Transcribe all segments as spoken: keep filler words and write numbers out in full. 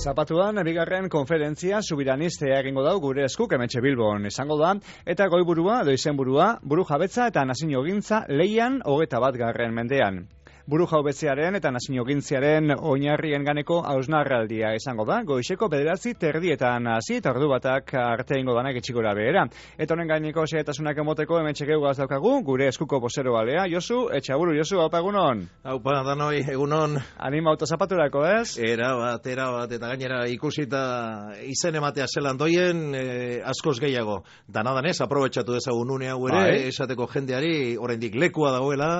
Zapatuan, bigarren konferentzia subiranistea egingo dau gure eskuk hementxe Bilbon izango da, eta goiburua, edo izenburua, buru jabetza eta nazio-gintza leian hogeta bat garren mendean. Buru jaubetzearen eta nazio-gintziaren oinarrien ganeko hausnarraldia izango da, goizeko bederatzi terdietan hasi eta ordu batak arte ingo danak etxikora behera. Eta honen gaineko xehetasunak emoteko hementxe geugaz daukagu, gure eskuko posero balea, Josu, etxaburu, Josu, haupa egunon. Haupa, danoi, egunon. Anima autozapaturako, ez? Era bat, era bat, eta gainera ikusita izen ematea zelan doien, eh, askoz gehiago. Danadanez, aprobetxatu dezagun une hau ere, bai. Esateko jendeari, oraindik lekua dagoela,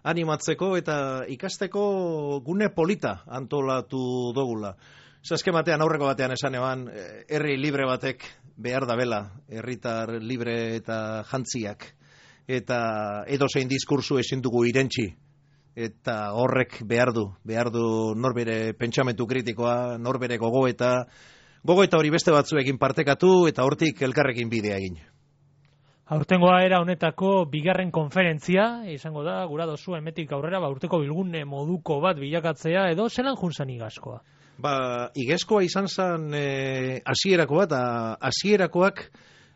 animatzeko eta ikasteko gune polita antolatu dogula. Zaske batean, aurreko batean esan eban, herri libre batek behar da bela, herritar libre eta jantziak. Eta edozein diskursu ezin dugu irentsi. Eta horrek behar du, behar du norbere pentsamentu kritikoa, norbere gogoeta, gogoeta hori beste batzuekin partekatu eta hortik elkarrekin bidea egin. Aurtengoa era honetako bigarren konferentzia, izango da, gura dozu emetik aurrera, ba, urteko bilgune moduko bat bilakatzea, edo zelan junzan igazkoa? Ba, igazkoa izan zen hasierakoa, eta hasierakoak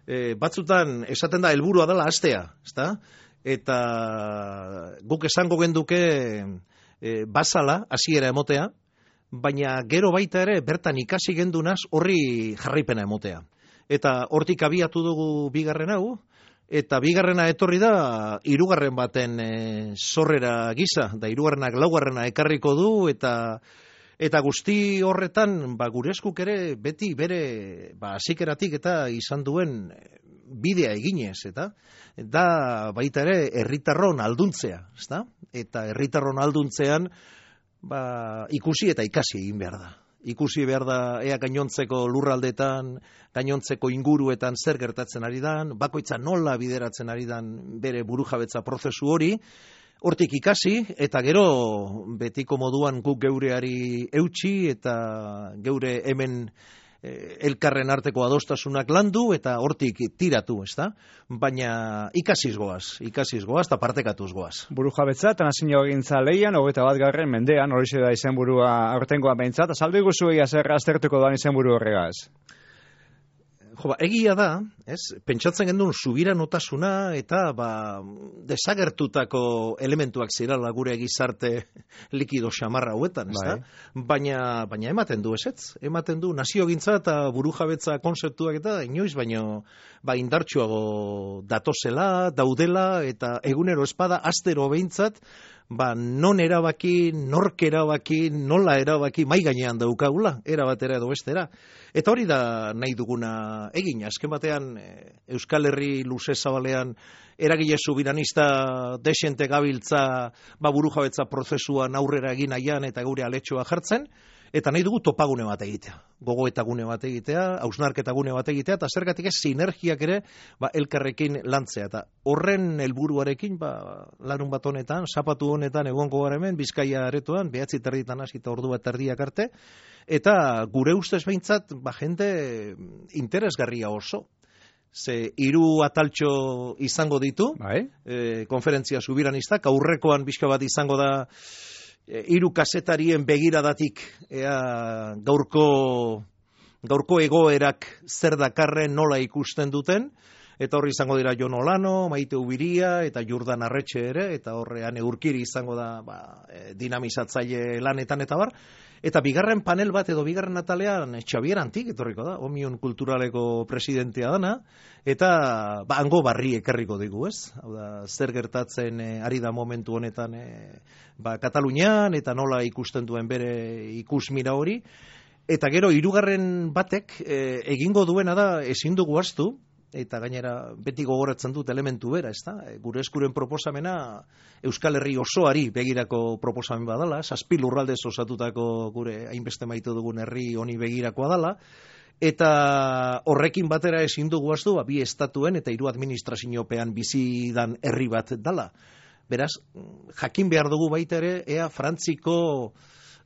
e, batzutan esaten da helburua dela hastea, ezta? Eta guk esango genduke e, bazala hasiera emotea, baina gero baita ere bertan ikasi gendunaz horri jarraipena emotea. Eta hortik abiatu dugu bigarren hau, eta bigarrena etorri da hirugarren baten e, zorrera gisa, da hirugarrenak laugarrena ekarriko du, eta eta guzti horretan ba, gure eskuk ere beti bere ba, hasikeratik eta izan duen bidea eginez, eta da baita ere herritarron alduntzea, ezta? Eta herritarron alduntzean ba, ikusi eta ikasi egin behar da. Ikusi behar da ea gainontzeko lurraldetan, gainontzeko inguruetan zer gertatzen ari dan, bakoitza nola bideratzen ari dan bere burujabetza prozesu hori, hortik ikasi, eta gero betiko moduan guk geureari eutsi, eta geure hemen eh, elkarren arteko adostasunak landu, eta hortik tiratu, ezta? Baina ikasiz goaz, ikasiz goaz, eta partekatuz goaz. Buru jabetza eta nazio-gintza leian hogeta bat garren mendean, horixe da izenburua aurtengoa behintzat, azaldu iguzu egia zer aztertuko doan izenburu horregaz. Jo, ba, egia da, ez? Pentsatzen gendun subiranotasuna eta ba, desagertutako elementuak zirala gure gizarte likido xamarra hauetan, ez da? Bai. Baina, baina ematen du ezetz, ematen du naziogintza eta burujabetza konzeptuak eta inoiz, baino ba, indartsuago datozela, daudela eta egunero espada astero behintzat, ba, non erabaki, nork erabaki, nola erabaki, mai gainean daukagula, era batera edo bestera. Eta hori da nahi duguna egin, azken batean Euskal Herri luze zabalean eragile subiranista desente gabiltza ba, burujabetza prozesuan aurrera egin nahian eta gure aletxoa jartzen, eta nahi dugu topagune bat egitea, gogoetagune bat egitea, hausnarketagune bat egitea, eta zergatik ez sinergiak ere ba, elkarrekin lantzea. Eta horren helburuarekin ba, larun bat honetan, zapatu honetan egongo gara hemen, Bizkaia aretoan, behatzi terditan hasita ordu bat terdiak arte, eta gure ustez behintzat ba, jende interesgarria oso. Ze hiru ataltxo izango ditu, bai? e, konferentzia subiranistak, aurrekoan bizka bat izango da, hiru kazetarien begiradatik ea gaurko gaurko egoerak zer dakarren nola ikusten duten, eta horri izango dira Jon Olano, Maite Ubiria eta Jurdan Arretxe ere, eta horrean Urkiri izango da ba, dinamizatzaile lanetan eta bar. Eta bigarren panel bat edo bigarren atalean Xabier Antik etorriko da, Omion Kulturaleko presidentea dana, eta ba, hango barri ekarriko digu, ez? Hau da, zer gertatzen e, ari da momentu honetan e, ba, Katalunian, eta nola ikusten duen bere ikusmira hori. Eta gero, hirugarren batek e, egingo duena da ezin dugu ahaztu, eta gainera beti gogoratzen dut elementu bera, ezta? Gure eskuren proposamena Euskal Herri osoari begirako proposamen badala, zazpi lurraldez osatutako gure hainbeste maite dugun herri honi begirakoa dala, eta horrekin batera ezin dugu ahaztu, bi estatuen eta hiru administraziopean bizidan herri bat dala. Beraz, jakin behar dugu baita ere, ea Frantziko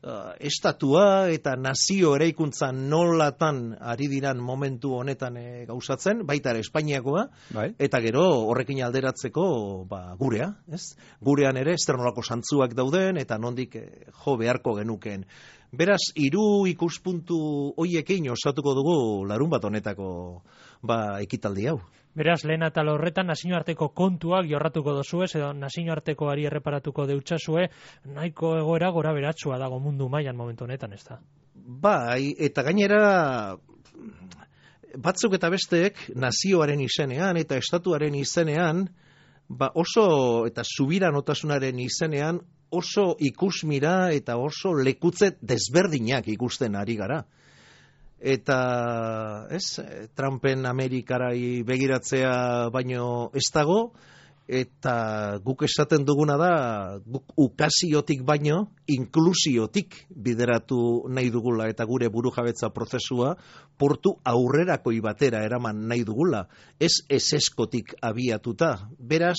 uh, estatua eta nazio eraikuntza nolatan ari diran momentu honetan e, gauzatzen, baita ere Espainiakoa, bai. Eta gero horrekin alderatzeko ba, gurea, ez? Gurean ere esternolako santzuak dauden eta nondik e, jo beharko genukeen. Beraz, hiru ikuspuntu hoiekin osatuko dugu larun bat honetako ba, ekitaldi hau. Beraz, lehen atal horretan nazioarteko kontuak jorratuko dozuez, edo nazioartekoari erreparatuko deutsazue, nahiko egoera gora beratsua dago mundu mailan momentu honetan, ez da? Bai, eta gainera batzuk eta besteek nazioaren izenean eta estatuaren izenean, ba oso eta subiranotasunaren izenean oso ikusmira eta oso lekutze desberdinak ikusten ari gara. Eta, ez, Trumpen Amerikarai begiratzea baino ez dago, eta guk esaten duguna da, guk ukaziotik baino, inklusiotik bideratu nahi dugula, eta gure burujabetza prozesua portu aurrerakoi batera eraman nahi dugula, ez eseskotik abiatuta. Beraz,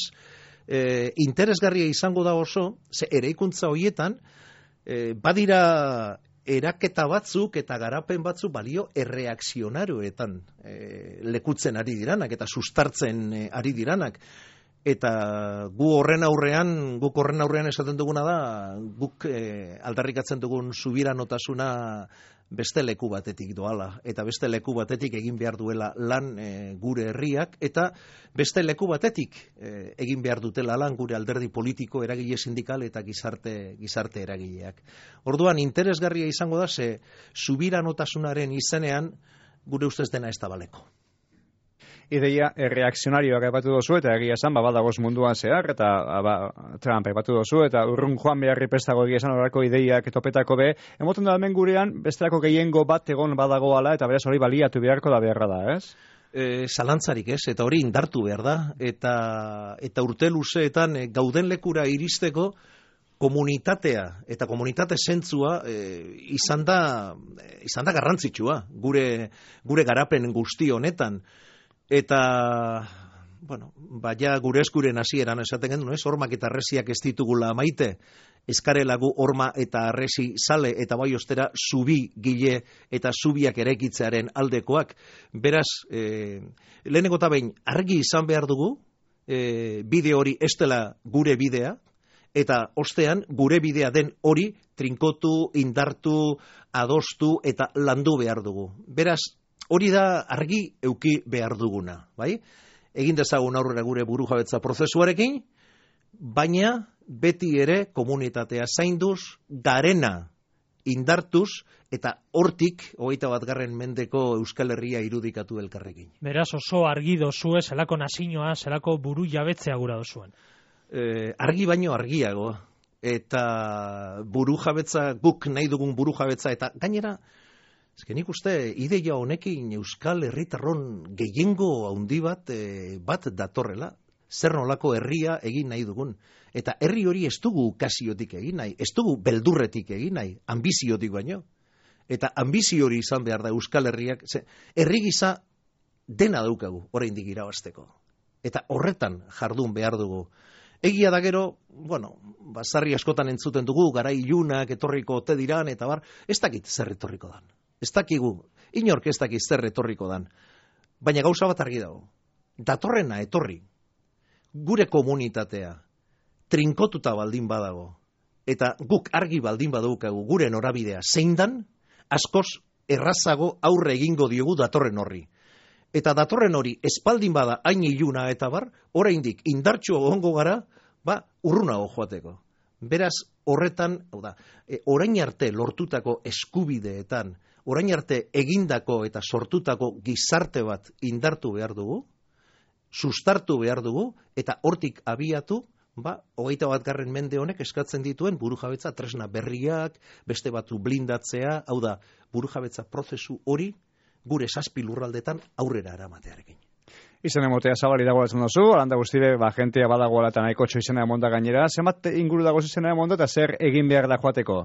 eh, interesgarria izango da oso, ze eraikuntza horietan, eh, badira eraketa batzuk eta garapen batzuk balio erreakzionaroetan e, lekutzen ari diranak eta sustartzen e, ari diranak. Eta gu horren aurrean, guk horren aurrean esaten duguna da, guk e, aldarrikatzen dugun subiranotasuna beste leku batetik doala, eta beste leku batetik egin behar duela lan e, gure herriak, eta beste leku batetik e, egin behar dutela lan gure alderdi politiko, eragile sindikal eta gizarte, gizarte eragileak. Orduan, interesgarria izango da, ze subiranotasunaren izenean gure ustez dena ez da baleko. Ideia erreakzionarioak aipatu dozu eta egia esan ba, badagoz munduan zehar eta ba, Trump aipatu dozu eta urrun joan beharri prestago egia esan horako ideiak topetako be, emoten da hemen gurean bestelako gehiengo bat egon badagoala eta beraz hori baliatu beharko da beharra da, ez? E, zalantzarik ez, eta hori indartu behar da, eta, eta urte luzeetan e, gauden lekura iristeko komunitatea eta komunitate zentzua e, izan da, e, izan da garrantzitsua gure, gure garapen guzti honetan. Eta, bueno, baina gure eskuren hasieran esaten gendu, ez? Hormak eta arresiak ez ditugula maite, eskarelagu horma eta arresi sale eta bai ostera zubi gile eta zubiak eraikitzearen aldekoak. Beraz, e, lehenengo eta behin argi izan behar dugu, e, bide hori ez dela gure bidea, eta ostean gure bidea den hori trinkotu, indartu, adostu eta landu behar dugu. Beraz, hori da argi euki behar duguna, bai? Egin dezagun aurrera gure burujabetza prozesuarekin, baina beti ere komunitatea zainduz, garena indartuz, eta hortik, hogeita bat garren mendeko Euskal Herria irudikatu elkarrekin. Beraz oso argi dozue, zelako nazinoa, zelako buru jabetzea gura dozuen. Eh, argi baino argiago, eta burujabetza, guk nahi dugun burujabetza, eta gainera, ezken nik uste, ideia honekin Euskal Herritarron gehiengo handi bat, e, bat datorrela, zer nolako herria egin nahi dugun. Eta herri hori ez dugu kasiotik egin nahi, ez dugu beldurretik egin nahi, ambiziotik baino. Eta ambizio hori izan behar da Euskal Herriak, ze, herri gisa dena daukagu, oraindik irabazteko. Eta horretan jardun behar dugu. Egia da gero, bueno, basarri askotan entzuten dugu, garai ilunak etorriko ote diran, eta bar, ez dakit zer etorriko dan. Ez dakigu, inork ez dakit zer etorriko dan. Baina gauza bat argi dago. Datorrena etorri. Gure komunitatea trinkotuta baldin badago. Eta guk argi baldin badaukagu gure norabidea zein dan, askoz errazago aurre egingo diogu datorren horri. Eta datorren hori espaldin bada hain iluna eta bar, oraindik indartxo egongo gara, ba, urrunago joateko. Beraz, horretan, hau da, e, orain arte lortutako eskubideetan, orain arte egindako eta sortutako gizarte bat indartu behar dugu, sustartu behar dugu, eta hortik abiatu, ba, hogeita bat garren mende honek eskatzen dituen burujabetza tresna berriak, beste batu blindatzea, hau da, burujabetza prozesu hori gure zazpi lurraldetan aurrera eramatearekin. Izan emotea zabali dago esan duzu, alanda guztire, ba, jentea badagoela eta nahiko txoizena emonda gainera. Zenbat inguru dago izena emonda eta zer egin behar da joateko?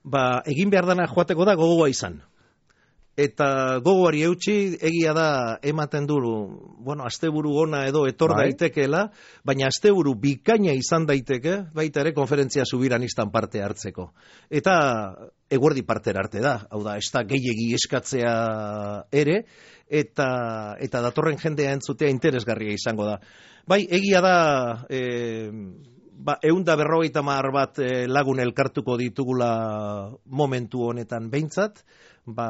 Ba, egin behar dana joateko da gogoa izan. Eta gogoari eutxi, egia da ematen duru, bueno, asteburu ona edo etor bai. daitekeela, baina asteburu bikaina izan daiteke, baita ere konferentzia subiranistan parte hartzeko. Eta eguerdi partera arte da, hau da, ez da gehiegi eskatzea ere, eta, eta datorren jendea entzutea interesgarria izango da. Bai, egia da... E, Ba, eunda berrogeita mar bat e, lagun elkartuko ditugula momentu honetan behintzat, ba,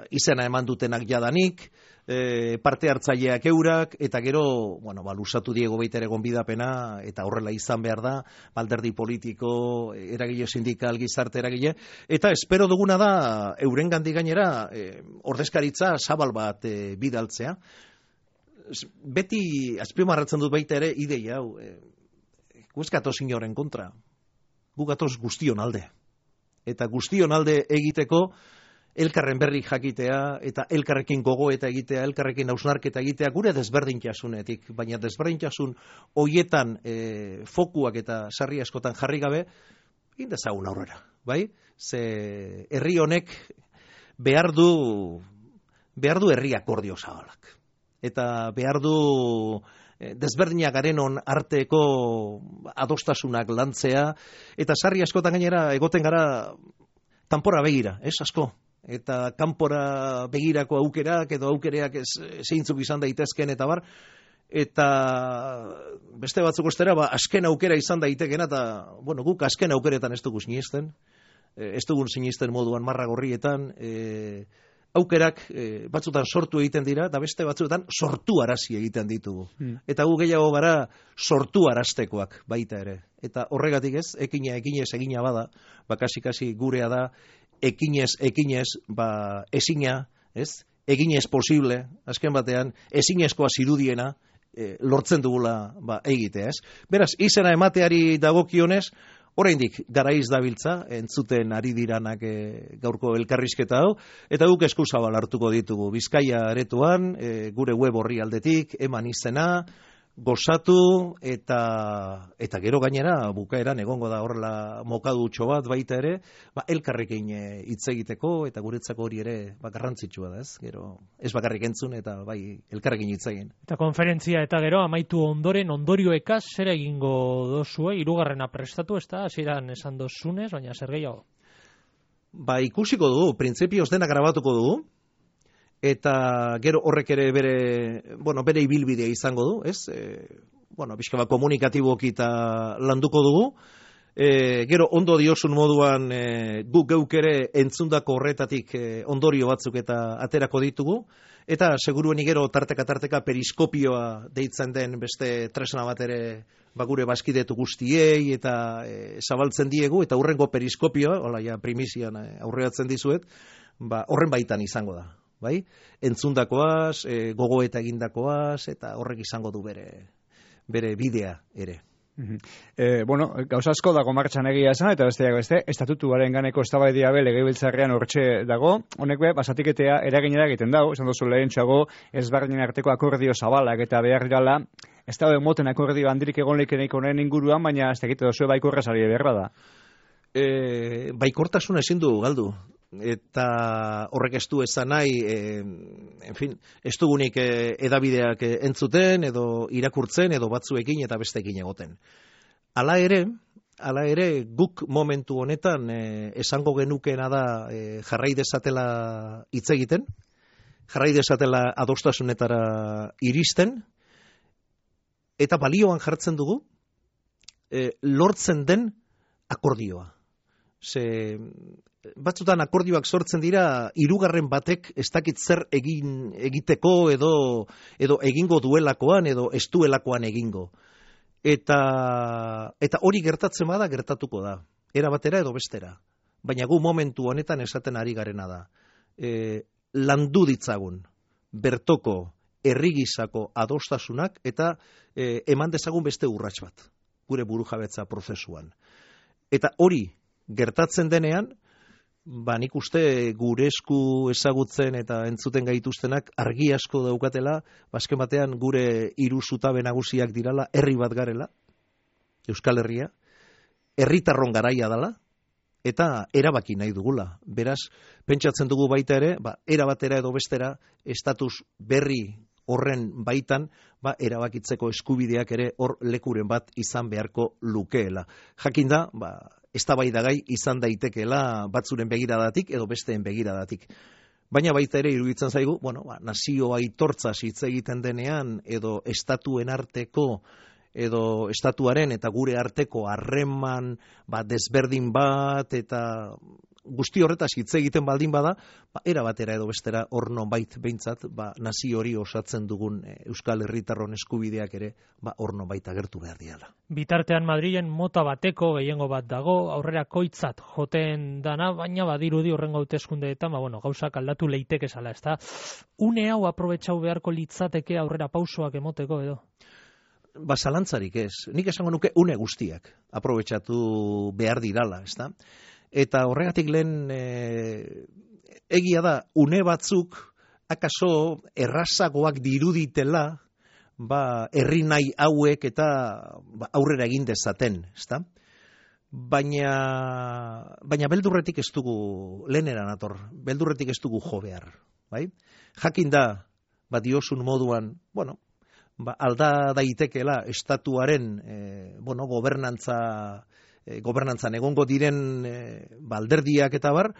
izena eman dutenak jadanik, e, parte hartzaileak eurak, eta gero, bueno, ba, lusatu diego baita ere gonbidapena, eta horrela izan behar da, alderdi politiko, eragile sindikal, gizarte eragile, eta espero duguna da, euren gandik gainera, e, ordezkaritza zabal bat e, bidaltzea. Beti, azpimarratzen dut baita ere, ideia hau, e, gu ez gatoz inoren kontra, gu gatoz guztion alde. Eta guztion alde egiteko elkarren berri jakitea, eta elkarrekin gogoeta egitea, elkarrekin hausnarketa egitea, gure desberdintasunetik, baina desberdintasun hoietan e, fokuak eta sarri askotan jarri gabe, indezagun aurrera, bai? Ze herri honek behar du, behar du herri akordio zabalak. Eta behar du... desberdinak garenon arteko adostasunak lantzea, eta sarri askotan gainera egoten gara kanpora begira, ez asko? Eta kanpora begirako aukerak edo aukereak ez, zeintzuk izan daitezken eta bar, eta beste batzuk ostera, ba, azken aukera izan daitekena, eta bueno, guk azken aukeretan ez dugu sinisten, ez dugun sinisten moduan marra gorrietan, e, aukerak e, batzutan sortu egiten dira, da beste batzuetan sortu arazi egiten ditugu. Mm. Eta gu gehiago gara sortu araztekoak baita ere. Eta horregatik ez, ekina ekinez egina bada, bakasi-kasi gurea da, ekinez ekinez, ba, ezina, ez? Eginez posible, azken batean, ezinezkoa zirudiena e, lortzen dugula ba, egitea, ez? Beraz, izena emateari dagokionez, oraindik garaiz dabiltza, entzuten ari diranak e, gaurko elkarrizketa hau, eta guk eskuzabal hartuko ditugu. Bizkaia aretoan, e, gure web horri aldetik, eman izena, gozatu, eta eta gero gainera, bukaeran egongo da horrela mokadutxo bat baita ere, ba, elkarrekin hitz egiteko, eta guretzako hori ere ba, garrantzitsua da, ez? Gero, ez bakarrik entzun, eta bai, elkarrekin hitz egin. Eta konferentzia eta gero amaitu ondoren ondorioekaz zer egingo dozue, hirugarrena prestatu, ez da, hasieran esan dozunez, baina zer gehiago? Ba, ikusiko dugu, printzipioz dena grabatuko dugu, eta gero horrek ere bere, bueno, bere ibilbidea izango du, ez? E, bueno, pixka bat komunikatiboki eta landuko dugu. E, gero ondo diosun moduan e, guk geuk ere entzundako horretatik e, ondorio batzuk eta aterako ditugu. Eta seguruenik gero tarteka-tarteka periskopioa deitzen den beste tresna bat ere ba, gure baskidetu guztiei eta e, zabaltzen diegu, eta hurrengo periskopioa, hola ja primizian e, aurreatzen dizuet, ba, horren baitan izango da. Bai? Entzundakoaz, e, gogoeta egindakoaz, eta horrek izango du bere, bere bidea ere. E, bueno, gauza asko dago martxan egia esan, eta besteak beste, estatutuaren ganeko eztabaidia be legebiltzarrean hortxe dago, honek be, basatiketea eraginera egiten dago, esan duzu lehen txago, ezberdinen arteko akordio zabalak eta behar gala, ez da moten akordio handirik egon leikeneik honen inguruan, baina ez tekite dozue baikorra sari beharra da. E, baikortasuna ezin du galdu. Eta horrek ez du esan nahi, e, en fin, ez dugunik e, edabideak entzuten, edo irakurtzen, edo batzuekin eta besteekin egoten. Hala ere, hala ere, guk momentu honetan e, esango genukeena da e, jarrai dezatela hitz egiten, jarrai dezatela adostasunetara iristen, eta balioan jartzen dugu, e, lortzen den akordioa. Ze... batzutan akordioak sortzen dira hirugarren batek ez dakit zer egin egiteko edo edo egingo duelakoan edo ez duelakoan egingo. Eta eta hori gertatzen bada gertatuko da. Era batera edo bestera. Baina gu momentu honetan esaten ari garena da. E, landu ditzagun bertoko herrigisako adostasunak eta e, eman dezagun beste urrats bat gure burujabetza prozesuan. Eta hori gertatzen denean, ba nik uste gure esku ezagutzen eta entzuten gaituztenak argi asko daukatela, bazken batean gure hiru zutabe nagusiak dirala, herri bat garela, Euskal Herria, herritarron garaia dela, eta erabaki nahi dugula. Beraz, pentsatzen dugu baita ere, ba, erabatera edo bestera, estatus berri horren baitan, ba, erabakitzeko eskubideak ere hor lekuren bat izan beharko lukeela. Jakinda, ba, eztabaidagai izan daitekeela batzuren begiradatik edo besteen begiradatik. Baina baita ere iruditzen zaigu, bueno, ba, nazio aitortza hitz egiten denean edo estatuen arteko edo estatuaren eta gure arteko harreman ba, desberdin bat eta guzti horretaz hitz egiten baldin bada, ba, era batera edo bestera hor nonbait behintzat ba, nazio hori osatzen dugun e, Euskal Herritarron eskubideak ere ba, hor nonbait agertu behar diala. Bitartean Madrilen mota bateko gehiengo bat dago, aurrera koitzat joten dana, baina badirudi horrengo hauteskundeetan, ba, bueno, gauzak aldatu leiteke zala, ezta? Une hau aprobetxau beharko litzateke aurrera pausoak emoteko edo? Ba, zalantzarik ez. Nik esango nuke une guztiak aprobetxatu behar dirala, ezta? Eta horregatik lehen e, egia da, une batzuk akaso errazagoak diruditela ba, herri nahi hauek eta ba, aurrera egin dezaten, ezta? Baina, baina beldurretik ez dugu lehenera nator, beldurretik ez dugu jo behar, bai? Jakin da, ba, diosun moduan, bueno, ba, alda daitekeela estatuaren e, bueno, gobernantza e, gobernantzan egongo diren e, balderdiak eta bar,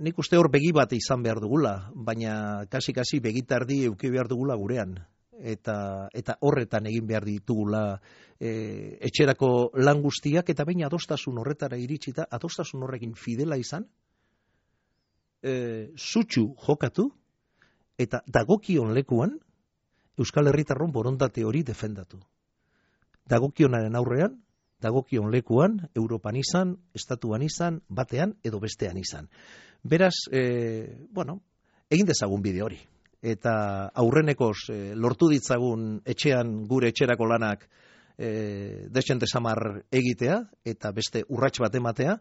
nik uste hor begi bat izan behar dugula, baina kasi-kasi begitardi euki behar dugula gurean. Eta, eta horretan egin behar ditugula e, etxerako lan guztiak, eta baina adostasun horretara iritsita, adostasun horrekin fidela izan, e, zutxu jokatu, eta dagokion lekuan, Euskal Herritarron borondate hori defendatu. Dagokionaren aurrean, dagokion lekuan, Europan izan, Estatuan izan, batean edo bestean izan. Beraz, e, bueno, egin dezagun bide hori. Eta aurrenekoz e, lortu ditzagun etxean gure etxerako lanak e, desente samar egitea, eta beste urrats bat ematea,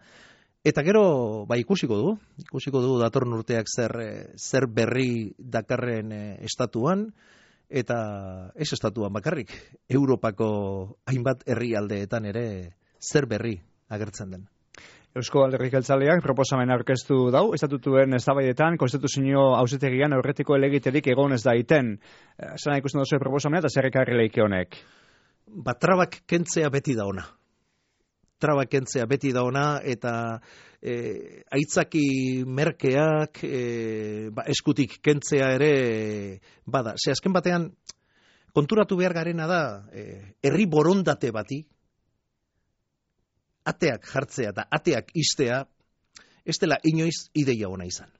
eta gero, ba, ikusiko dugu, ikusiko dugu datorren urteak zer, zer berri dakarren e, estatuan, eta ez estatuan bakarrik, Europako hainbat herrialdeetan ere zer berri agertzen den. Eusko Alderdi Jeltzaleak proposamen aurkeztu dau, estatutuen eztabaidetan konstituzio auzitegian aurretiko helegiterik egon ez daiten. Zena ikusten duzu proposamena eta zer ekarri leike honek? Ba, trabak kentzea beti da ona. Trabak kentzea beti da ona, eta e, aitzaki merkeak e, ba, eskutik kentzea ere e, bada. Ze azken batean, konturatu behar garena da, e, herri borondate bati, ateak jartzea eta ateak istea, ez dela inoiz ideia ona izan.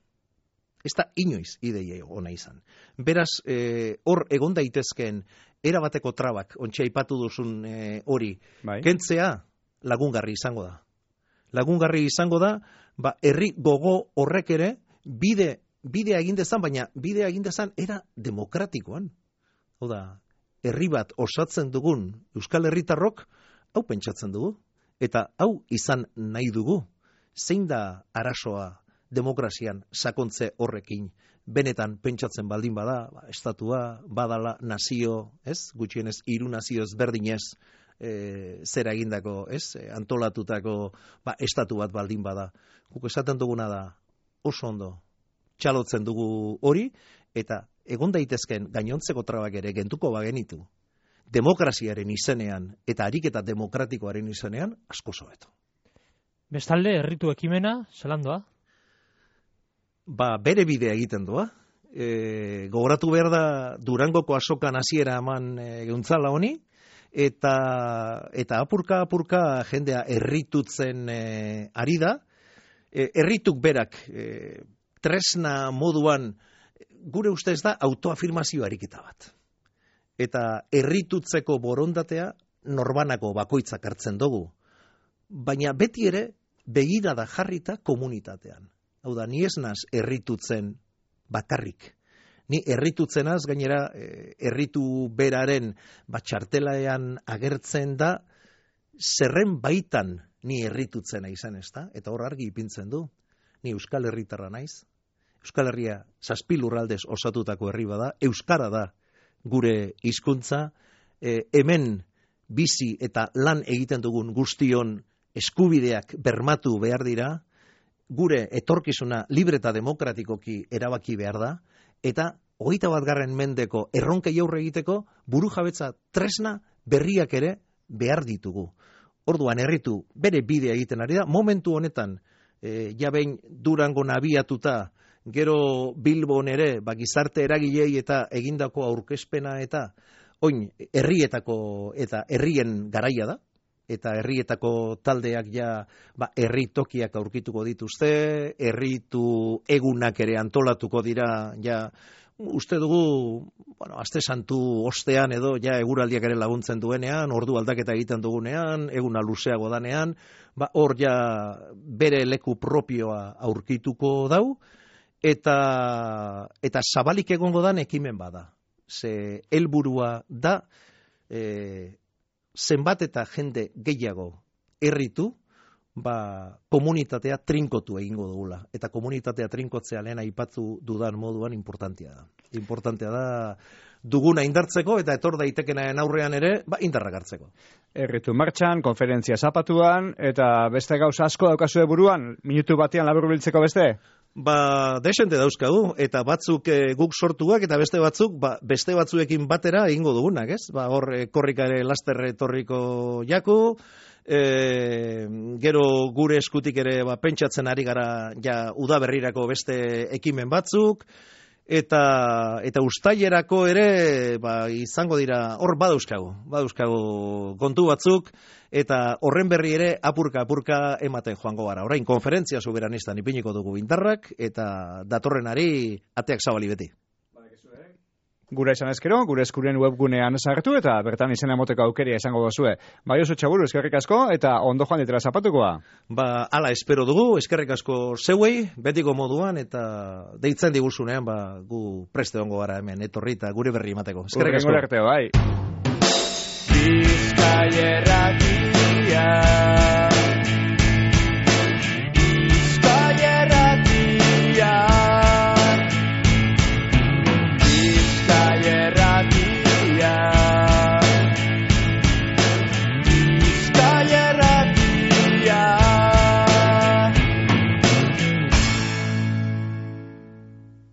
Ez da inoiz ideia ona izan. Beraz, e, hor egon daitezkeen erabateko trabak, ontsa aipatu duzun e, hori, bai. Kentzea lagungarri izango da. Lagungarri izango da, ba, herri gogo horrek ere, bide, bidea egin dezan, baina bidea egin dezan era demokratikoan. Hau da, herri bat osatzen dugun Euskal Herritarrok, hau pentsatzen dugu. Eta hau izan nahi dugu, zein da arazoa demokrazian sakontze horrekin, benetan pentsatzen baldin bada, ba, estatua, badala, nazio, ez? Gutxienez, hiru nazio ezberdinez e, zera egindako, ez? E, antolatutako ba, estatu bat baldin bada. Guk esaten duguna da, oso ondo, txalotzen dugu hori, eta egon daitezken gainontzeko trabak ere gentuko bagenitu. Demokraziaren izenean eta ariketa demokratikoaren izenean asko hobeto. Bestalde, herritu ekimena, zelan doa? Ba, bere bidea egiten doa. E, gogoratu behar da Durangoko azokan hasiera eman e, geuntzala honi, eta, eta apurka apurka jendea herritutzen e, ari da. E, herrituk berak e, tresna moduan gure ustez da autoafirmazio ariketa bat. Eta herritutzeko borondatea norbanako bakoitzak hartzen dugu. Baina beti ere begirada jarrita komunitatean. Hau da, ni ez naz herritutzen bakarrik. Ni herritutzenaz gainera herritu beraren batxartelaean agertzen da zerren baitan ni herritutzena izan, ezta? Eta hor argi ipintzen du. Ni Euskal Herritarra naiz. Euskal Herria zazpi lurraldez osatutako herri bada, euskara da gure hizkuntza, e, hemen bizi eta lan egiten dugun guztion eskubideak bermatu behar dira, gure etorkizuna libre eta demokratikoki erabaki behar da, eta hogeita bat garren mendeko erronkei aurre egiteko burujabetza tresna berriak ere behar ditugu. Orduan herritu bere bidea egiten ari da, momentu honetan, e, ja behin Durangon abiatuta, gero Bilbon ere, ba, gizarte eragilei eta egindako aurkezpena eta oin herrietako eta herrien garaia da, eta herrietako taldeak ja ba, herri tokiak aurkituko dituzte, herritu egunak ere antolatuko dira, ja uste dugu, bueno, aste santu ostean edo ja eguraldiak ere laguntzen duenean, ordu aldaketa egiten dugunean, eguna luzeago danean, ba, hor ja bere leku propioa aurkituko dau, eta, eta zabalik egongo dan ekimen bada. Ze helburua da, e, zenbat eta jende gehiago herritu, ba, komunitatea trinkotu egingo dugula. Eta komunitatea trinkotzea lehen aipatzu dudan moduan importantea da. Importantea da duguna indartzeko eta etor daitekenaren aurrean ere, ba, indarrak hartzeko. Herritu martxan, konferentzia zapatuan, eta beste gauza asko daukazue buruan, minutu batean laburbiltzeko beste? Ba, desente dauzkagu, eta batzuk e, guk sortuak, eta beste batzuk, ba, beste batzuekin batera egingo dugunak, ez? Ba, hor, e, korrikare lasterre torriko jaku, e, gero gure eskutik ere ba, pentsatzen ari gara ja udaberrirako beste ekimen batzuk, eta eta ustailerako ere ba, izango dira, hor badauzkagu, badauzkagu kontu batzuk, eta horren berri ere apurka-apurka ematen joango gara. Orain konferentzia soberanistan ipiniko dugu indarrak, eta datorrenari ateak zabali beti. Gura izan ezkero, gure eskuren webgunean sartu, eta bertan izena emoteko aukeria izango dozue. Bai oso txaburu, eskerrik asko, eta ondo joan ditela zapatukoa. Ba, ala espero dugu, eskerrik asko zeuei, betiko moduan, eta deitzen diguzunean, ba, gu preste ongo gara hemen, etorri eta gure berri emateko. Eskerrik asko. Urrengo arte, bai. Bizkaia erratia.